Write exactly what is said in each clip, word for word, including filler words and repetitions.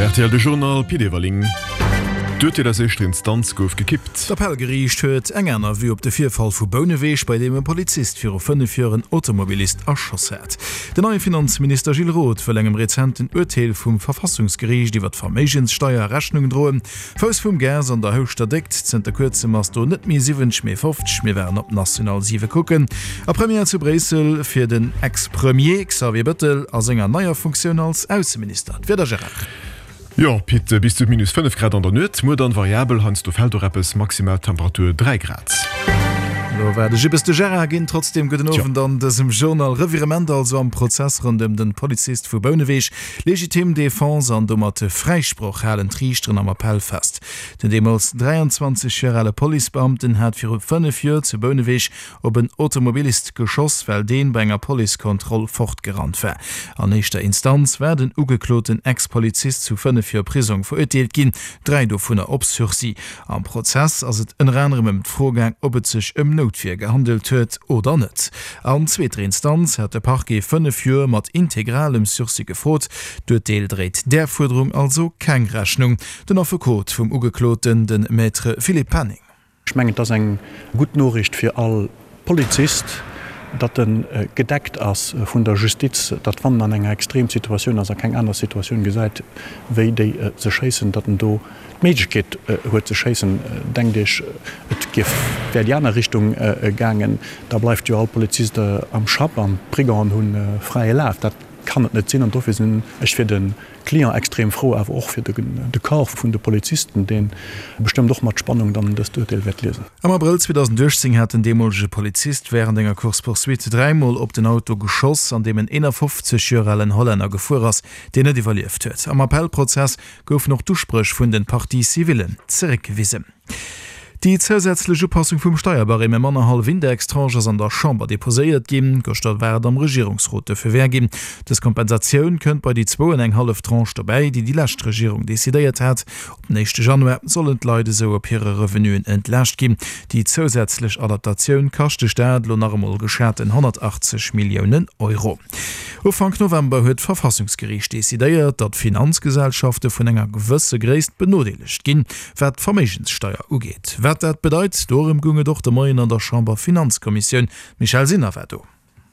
R T L de Journal, Pit Everling. D'Urteel aus éischter Instanz gouf gekippt. D'Appellgeriicht huet eng aner Vue op de Virfall vu Bouneweg, bei deem e Polizist viru fënnef Joer en Automobilist erschoss hat. Den neie Finanzminister Gilles Roth wëll engem rezenten Urteel vum Verfassungsgeriicht iwwer d'Verméigenssteier Rechnung droen. Fouss vum Gas an der Houschter Déckt, zënter kuerzem ass do net méi siwwenzeg mee fofzeg. Mir waren op National siwe kucken. A Première zu Bréissel fir den Ex-Premier Xavier Bëttel a senger neier Funktioun als Ausseminister. D'Wieder, Gérard. Jo, Pit, bis zu minus fënnef Grad an der Nuet, muer dann variabel, heiansdo fält och eppes, maximal Temperatur dräi Grad. Elo war de Jippes de Gérard ginn. Trotzdem gudden Owend an dësem Journal. Revirement also am Prozess rondëm den Polizist vu Bouneweg. Legitime Défense an domat Fräisproch halen d'Riichteren am Appell fest. Den deemools dräianzwanzeg Joer ale Policebeamten hat viru fënnef Joer zu Bouneweg op en Automobilist geschoss, well deen bei enger Policekontroll fortgerannt war. An éischter Instanz war den ugekloten Ex-Polizist zu fënnef Joer Prisong verurteelt ginn, dräi dovunner op Sursis. Am Prozess ass et ënner anerem ëm d'Fro gaang, ob et sech ëm Noutwier gehandelt huet oder net. An zweeter Instanz hat de Parquet fënnef Joer mat integralem Sursis gefrot. D'Urteel dréit där Fuerderung also keng Rechnung. Den Affekot vum Ugekloten, de Maître Philippe Penning. Ech mengen, et ass eng gutt Noriicht fir all Polizist, datt e gedeckt ass vun der Justiz, datt wann en an enger Extremsituatioun ass a keng aner Situatioun gesäit wéi déi ze schéissen, datt en do d'Méiglechkeet huet ze schéissen. Denkt Iech, et giff, wär déi aner Richtung gaangen, da bleift jo all Polizist am Schapp an d'Brigangen hu fräie Laf. Dat kann et net sinn an dofir sinn ech fir de Client extrem frou, awer och fir de Corps vun de Polizisten, dee bestëmmt och mat Spannung dann dëst Urteel wäert liesen. Am Abrëll zweedausenduechtzéng hat den deemolege Polizist wärend enger Course-poursuite dräimol op den Auto geschoss, an deem en eenafofzeg Joer alen Hollänner gefuer ass, deen net iwwerlieft huet. Am Appellprozess goufen och d'Uspréch vun den Parties civillen zeréckgewisen. Déi zousätzlech Upassung vum Steierbarème ëm annerhallef Indextranche ass an der Chamber deposéiert ginn. Gëschter war et am Regierungsrot de Feu vert ginn. Dës Kompensatioun kënnt bei déi zwou an eng hallef Tranche dobäi, déi déi lescht Regierung decidéiert hat. Op den éischte Januar sollen d'Leit esou op hire Revenuen entlaascht ginn. Déi zousätzlech Adaptatioun kascht de Staat elo nach emol geschaten honnertachtzeg Milliounen Euro. Ufank November huet d'Verfassungsgeriicht decidéiert, datt Finanzgesellschafte vun enger gewësse Gréisst benodeelegt ginn, wat d'Verméigenssteier ugeet. Wat dat bedeit, dorëm goung et och de Moien an der Chamber-Finanzkommissioun. D'Michèle Sinner war do.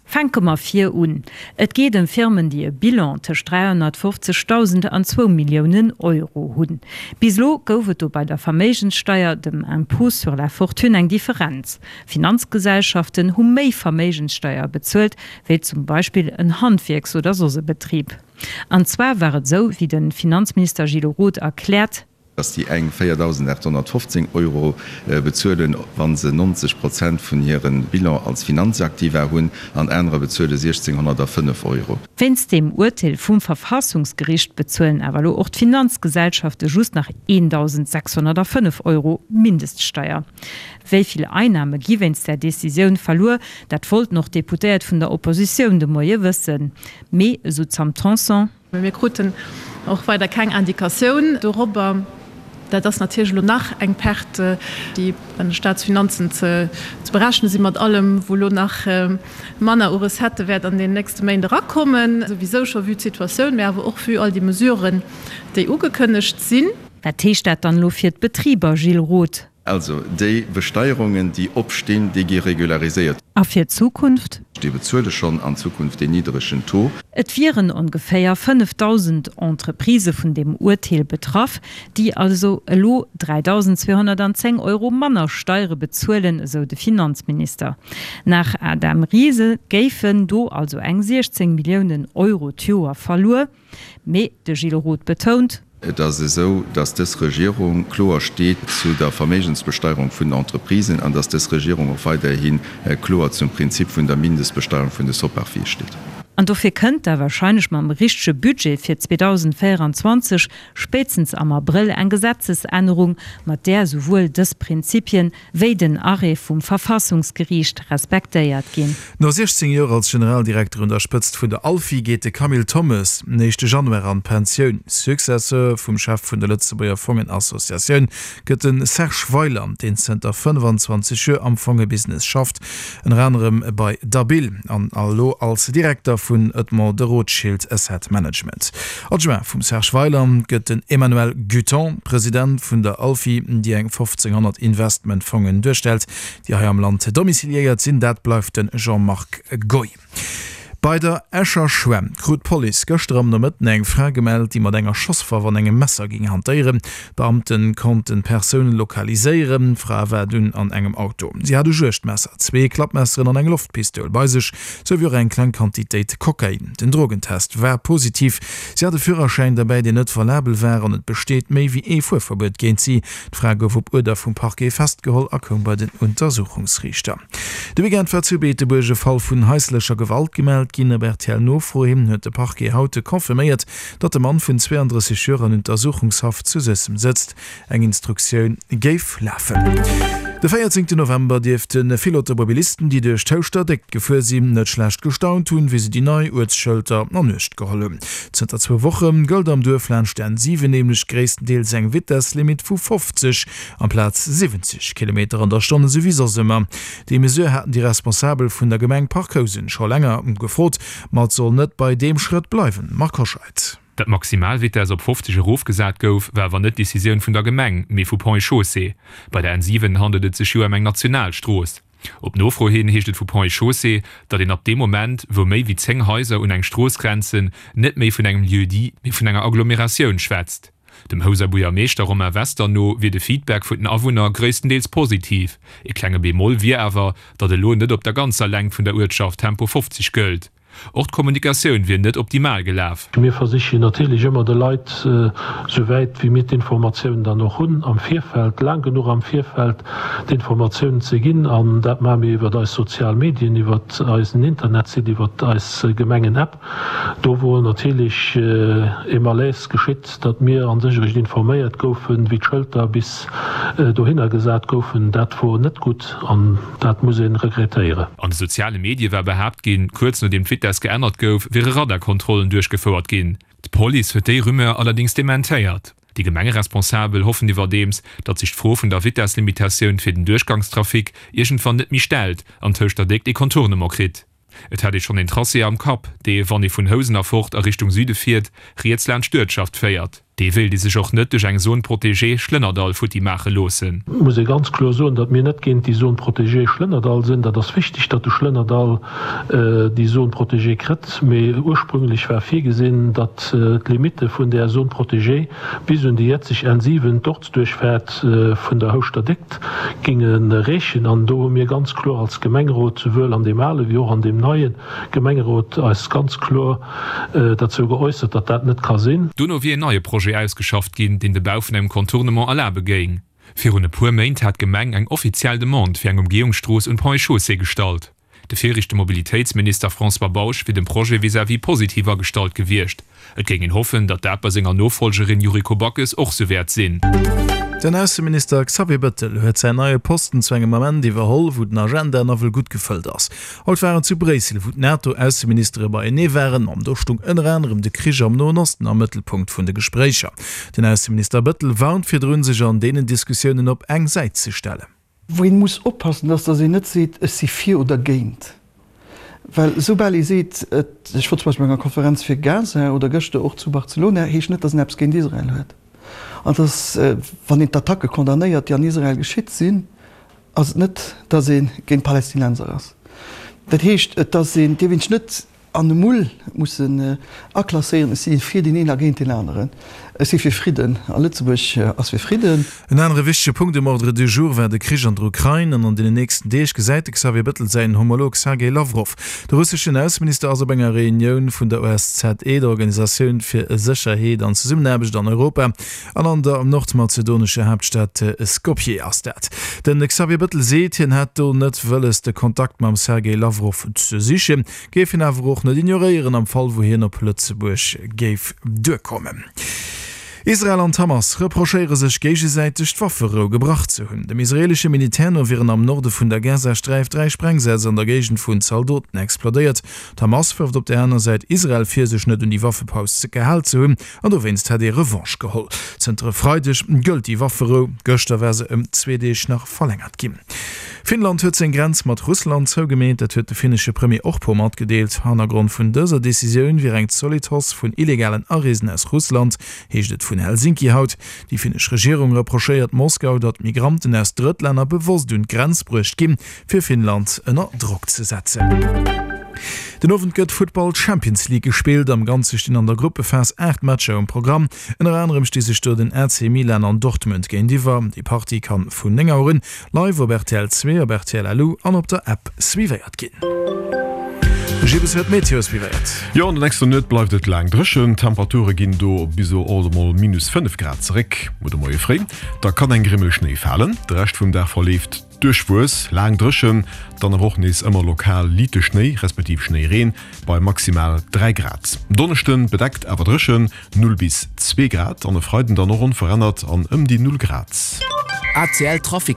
Fänke mer vir un. Et geet ëm Firmen, déi e Bilan tëscht dräihonnertfofzegdausend an zwou Milliounen Euro hunn. Bis elo gouf et do bei der Verméigenssteier, dem Impôt sur la fortune, eng Differenz. Finanzgesellschaften hu méi Verméigenssteier bezuelt, wéi zum Beispill en Handwierks oder soss e Betrib. An zwar war et esou, wéi de Finanzminister Gilles Roth erkläert, dass déi eng véierdausendaathonnertfofzéng Euro bezuelen, wa se neunzeg Prozent vun hire Bilan als Finanzaktiva hunn, an anerer bezuele siechzénghonnertfënnef Euro. Wéinst deem Urteel vum Verfassungsgericht bezuelen awer elo och d'Finanzgesellschafte just nach eendausendsechshonnertfënnef Euro Mindeststeier. Wéi vill Einname gi wéinst där Decisioun verluer, dat wollten och d'Deputéiert vun der Oppositioun de Moie wëssen. Mee, esou d'Sam Tanson. Mir kruten och weider keng Indikatioun dorobber. Dat ass natierlech elo nach eng Perte, déi an de Staatsfinanzen ze berechne sinn, mat allem, wou elo nach manner u Recettë wäert an den nächste Méint erakommen, souwisou scho vue d'Situatioun, mä awer och vue all déi Mesuren, déi ugekënnegt sinn. Wat heescht dat dann elo fir d'Betriber, Gilles Roth? Also, déi Besteierungen, déi opstinn, déi gi regulariséiert. A fir d'Zukunft? Déi bezuele schonn an Zukunft deen niddregen Taux. Et wieren ongeféier fënnefdausend Entreprisë vun deem Urteel betraff, déi also elo dräidausenzweehonnertanzéng Euro manner Steiere bezuelen, esou de Finanzminister. Nach Adam Rise géifen do also eng siechzéng Milliounen Euro d'Joer verluer. Mee de Gilles Roth betount. Et ass esou, datt dës Regierung kloer steet zu der Verméigensbesteierung vun den Entreprisen an datt dës Regierung och weiderhi kloer zum Prinzip vun der Mindestbesteierung vun de Soparfie steet. An dofir kënnt da wahrscheinlech mam richtege Budget fir zweedausendvéieranzwanzeg spéitstens am Abrëll eng Gesetzesännerung, mat där esouwuel dës Prinzipien wéi den Arrêt vum Verfassungsgeriicht respektéiert ginn. No siechzéng Joer als Generaldirekter un der Spëtzt vun der Alfi geet de Camille Thommes den éischte Januar an d'Pensioun. Successeur vum Chef vun der Lëtzebuerger Fongenassociatioun gëtt de Serge Weiland, deen zënter fënnefan zwanzeg Joer am Fongebusiness schafft, ënner anerem bei Dabil an elo als Direkter vun Edmond de Rothschild Asset Management. Adjoint vum Serge Weyland gëtt den Emmanuel Guton, President vun der Alfi, déi eng fofzénghonnert Investmentfongen duerstellt, déi hei am Land domiciliéiert sinn. Dat bleift de Jean-Marc Goy. Bei der Escher Schwämm krut d'Police gëschter am Nomëtten eng Fra gemellt, déi mat enger Schosswaff an engem Messer géing hantéieren. D'Beamte konnten d'Persoun lokaliséieren. D'Fra war dunn an engem Auto. Si hat e Juegdmesser, zwee Klappmesseren an eng Loftpistoul bei sech, sou wéi och eng kleng Quantitéit Kokain. Den Drogentest war positiv. Si hat e Führerschäin derbäi, deen net valabel war an et besteet méi wéi ee Fuerverbuet géint si. D'Fra gouf op Uerder vum Parquet festgeholl a koum bei den Untersuchungsriichter. De Weekend war zu Beetebuerg e Fall vun haislecher Gewalt gemellt ginn. Op R T L-Nofro hin huet de Parquet haut confirméiert, datt de Mann vun zweeandrësseg Joer an Untersuchungshaft zu Suessem sëtzt. Eng Instruktioun géif lafen. De véierzéngten November dierfte vill Automobilisten, déi duerch d'Houschter Déckt gefuer sinn, net schlecht gestaunt hunn, wéi se déi nei Uertsschëlter an Uecht geholl hunn. Zënter zwou Woche gëllt am Duerf laanscht d'N siwen nämlech gréisstendeels eng Vitesslimit vu fofzeg amplaz siwwenzeg Kilometer an der Stonn, esou wéi soss ëmmer. Déi Mesure haten déi Responsabel vun der Gemeng Parc Housen scho länger gefrot, ma et soll net bei deem Schrëtt bleiwen. Marc Hoscheid. Datt d'Maximalvitess op fofzeg erofgesat gouf, war awer net d'Decisioun vun der Gemeng, mee vu Ponts et Chaussées. Bei der N siwen handelt et sech jo ëm eng national Strooss. Op Nofro hin heescht et vu Ponts et Chaussées, datt een ab deem Moment, wou méi wéi zéng Haiser un eng Strooss grenzen, net méi vun engem Lieu-dit, mee vun enger Agglomeratioun schwätzt. Dem Houser Buergermeeschter Romain Wester no wier de Feedback vun den Awunner gréisstendeels positiv. Ee klenge Bemoll wier awer, datt elo net op der ganzer Längt vun der Uertschaft Tempo fofzeg gëllt. Och d'Kommunikatioun wier net optimal gelaf. Mir versichen natierlech ëmmer de Leit, souwäit wéi mir d'Informatioun dann och hunn, am Virfeld, laang genuch am Virfeld d'Informatioun ze ginn. An dat maache mir iwwert eis sozial Medien, iwwert eisen Internetsite, iwwert eis Gemengen-App. Do wor natierlech e Malaise geschitt, datt mir a sech eréischt informéiert goufen, wéi d'Schëlter bis dohinner gesat goufen. Dat wor net gutt an dat muss ee regrettéieren. An de soziale Medie war behaapt ginn, kuerz nodeem d'Vitess geännert gouf, wiere Radarkontrollen duerchgefouert ginn. D'Police huet déi Rumeur allerdéngs dementéiert. Déi Gemengeresponsabel hoffen iwwerdeems, datt sech d'Fro vun der Vitesslimitatioun fir den Duerchgangstrafic iergendwann net méi stellt an d'Houschterdeck ee Contournement kritt. Et hätt ee schonn een Tracé am Kapp, dee, wann ee vun Housen erfort a Richtung Süde fiert, riets laanscht d'Uertschaft féiert. Dee wéilt ee sech och net duerch eng Zone protégée Schlënnerdall futti maache loossen. Et muss ee ganz kloer soen, datt mir net géint déi Zone protégée Schlënnerdall sinn. Dat ass wichteg, datt de Schlënnerdall déi Zone protégée kritt. Mee ursprünglech war virgesinn, datt d'Limitte vun där Zone protégée bis un déi jetzeg N siwen, d'Ortsduerchfaart vun der Houschter Déckt, géinge reechen. An do hu mir ganz kloer als Gemengerot, souwuel an deem ale wéi och an deem neie Gemengerot, eis ganz kloer derzou geäussert, datt dat net ka sinn. Dono wier een neie Projet ausgeschafft ginn, deen de Bau vun engem Contournement erlabe géing. Virun e puer Méint hat d'Gemeng eng offiziell Demande fir eng Umgehungsstrooss un d'Ponts et Chaussées gestallt. De viregte Mobilitéitsminister François Bausch wier dem Projet vis-à-vis positiv agestallt gewiescht. Et géing een hoffen, datt dat bei senger Nofollgerin Yuriko Backes och sou wäert sinn. Den Ausseminister Xavier Bettel huet säin neie Posten zu engem Ament iwwerholl, wou den Agenda nawell gutt gefëllt ass. Haut war en zu Bréissel, wou d'NATO-Ausseministere beienee waren, an do stung ënner anerem de Krich am Noen Osten am Mëttelpunkt vun de Gespréicher. Den Ausseminister Bettel warnt virdrun, sech an deenen Diskussiounen op eng Säit ze stellen. Wou een muss oppassen, ass, datt een net seet, ech si fir oder géint. Well soubal ee seet, ech wor zum Beispill bei enger Konferenz fir Gaza oder gëschter och zu Barcelona, heescht net, datt een eppes géint Israel huet. An datt, wann een d'Attacke condamnéiert, déi an Israel geschitt sinn, ass et net, datt ee géint d'Palästinenser ass. Dat heescht, et ass een, dierf een sech net an e Mull mussen aklasséieren, ech si fir deen een a géint deen aneren. Ech si fir Fridden a Lëtzebuerg ass fir Fridden. En anere wichtege Punkt um Ordre du jour war de Krich an der Ukrain an an deenen nächsten Deeg gesäit de Xavier Bettel säin Homolog Sergej Lawrow. De russeschen Ausseminister ass op enger Reunioun vun der O S Z E, der Organisatioun fir Sécherheet an Zesummenaarbecht an Europa, an an der nordmazedonescher Haaptstad Skopje ass dat. De Xavier Bettel seet, hien hätt do net wëlles de Kontakt mam Sergej Lawrow ze sichen, géif hien awer och net ignoréieren am Fall wou hien op Lëtzebuerg géif duerkommen. Israel an d'Hamas reprochéiere sech géigesäiteg d'Wafferou gebrach ze hunn. Dem israeelesche Militär no wieren am Norde vun der Gazasträif dräi Sprengsätz an der Géigend vun Zaldoten explodéiert. D'Hamas wërft op der aner Säit Israel vir, sech net un déi Waffepaus gehal ze hunn an dowéinst hätt ee Revanche geholl. Zënter e Freideg gëllt déi Wafferou, gëschter war se ëm zwee Deeg nach verlängert ginn. Finnland huet seng Grenz mat Russland zougemeet, dat huet de finnesche Premier Orpo matgedeelt. Hannergrond vun dëser Decisioun wier eng zolidd Hausse vun illegalen Areesen aus Russland, heescht et vun Helsinki haut. Déi finnesch Regierung reprochéiert Moskau, datt Migranten aus Drëttlänner bewosst un d'Grenz bruecht ginn, fir Finnland ënner Drock ze setzen. Den Owend gëtt Futtball Champions League gespillt. Am Ganze stinn an der Gruppephas aacht Matcher um Programm. Ënner anerem sti sech do den A C Milan an Dortmund géintiwwer. Déi Partie kann vun néng Auer un live op R T L zwee, op R T L Lu an op der App suivéiert ginn. De Gilles huet d'Meteo suivéiert. Jo, an der nächster Nuet bleift et laang dréchen. D'Temperature ginn do bis op alt emol minus fënnef Grad zeréck. Muer de Moie fréi, da kann eng Grimmel Schnéi falen. De Rescht vum Dag verleeft duerchwuess, laang dréchen, dann awer och nees ëmmer lokal liite Schnéi respektiv Schnéireen bei maximal dräi Grad. Donneschden bedeckt awer dréchen, null bis zwee Grad, an e Freiden dann och onverännert an ëm déi null Grad. A C L Trafic.